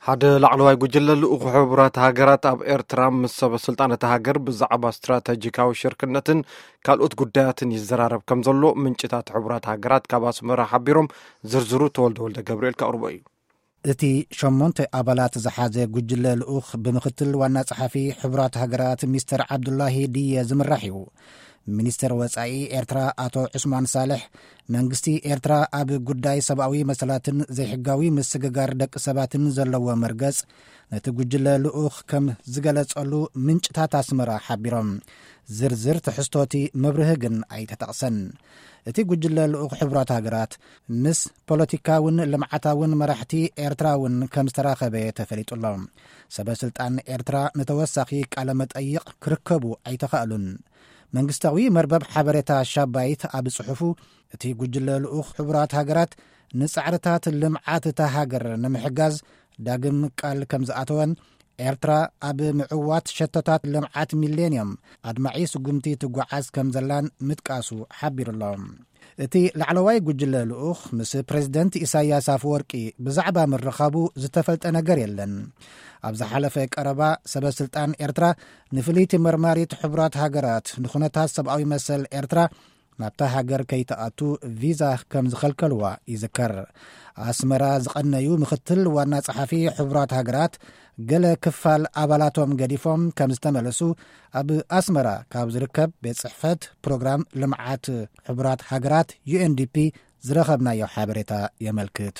ሓደ ላዕለዋይ ጉጅለ ልኡኽ ሕቡራት ሃገራት ኣብ ኤርትራ ምስ ሰበ ስልጣን እታ ሃገር ብዛዕባ ስትራተጂካዊ ሽርክነትን ካልኦት ጉዳያትን ይዘራረብ ከም ዘሎ ምንጭታት ሕቡራት ሃገራት ካብ ኣስመራ ሓቢሮም። ዝርዝሩ ተወልደ ወልደ ገብርኤል ከቕርቦ እዩ። እቲ ሸሞንተ ኣባላት ዝሓዘ ጉጅለ ልኡኽ ብምክትል ዋና ጸሓፊ ሕቡራት ሃገራት ሚስተር ዓብዱላሂ ድየ ዝምራሕ እዩ። ሚኒስተር ወጻኢ ኤርትራ ኣቶ ዑስማን ሳልሕ፣ መንግስቲ ኤርትራ ኣብ ጉዳይ ሰብኣዊ መሰላትን ዘይሕጋዊ ምስግጋር ደቂ ሰባትን ዘለዎ መርገጽ ነቲ ጉጅለ ልኡኽ ከም ዝገለጸሉ ምንጭታት ኣስመራ ሓቢሮም። ዝርዝር ትሕዝቶቲ መብርሂ ግን ኣይተጠቕሰን። እቲ ጉጅለ ልኡኽ ሕቡራት ሃገራት ምስ ፖለቲካውን ልምዓታውን መራሕቲ ኤርትራ እውን ከም ዝተራኸበ ተፈሊጡ ኣሎ። ሰበ ስልጣን ኤርትራ ንተወሳኺ ቃለ መጠይቕ ክርከቡ ኣይተኻእሉን። መንግስታዊ መርበብ ሓበሬታ ሻባይት ኣብ ጽሑፉ፣ እቲ ጉጅለ ልኡኽ ሕቡራት ሃገራት ንጻዕርታት ልምዓት እታ ሃገር ንምሕጋዝ ዳግም ቃል ከም ዝኣተወን ኤርትራ ኣብ ምዕዋት ሸቶታት ልምዓት ሚሌንዮም ኣድማዒ ስጉምቲ ትጓዓዝ ከም ዘላን ምጥቃሱ ሓቢሩ ኣሎ። እቲ ላዕለዋይ ጉጅለ ልኡኽ ምስ ፕሬዝደንት ኢሳያስ ኣፈወርቂ ብዛዕባ ምርኻቡ ዝተፈልጠ ነገር የለን። ኣብ ዝሓለፈ ቀረባ ሰበ ስልጣን ኤርትራ ንፍልይቲ መርማሪት ሕቡራት ሃገራት ንኹነታት ሰብኣዊ መሰል ኤርትራ ናብታ ሃገር ከይትኣቱ ቪዛ ከም ዝኸልከልዋ ይዝከር። ኣስመራ ዝቐነዩ ምክትል ዋና ጸሓፊ ሕቡራት ሃገራት ገለ ክፋል ኣባላቶም ገዲፎም ከም ዝተመለሱ ኣብ ኣስመራ ካብ ዝርከብ ቤት ጽሕፈት ፕሮግራም ልምዓት ሕቡራት ሃገራት ዩኤንዲፒ ዝረኸብናዮ ሓበሬታ የመልክት።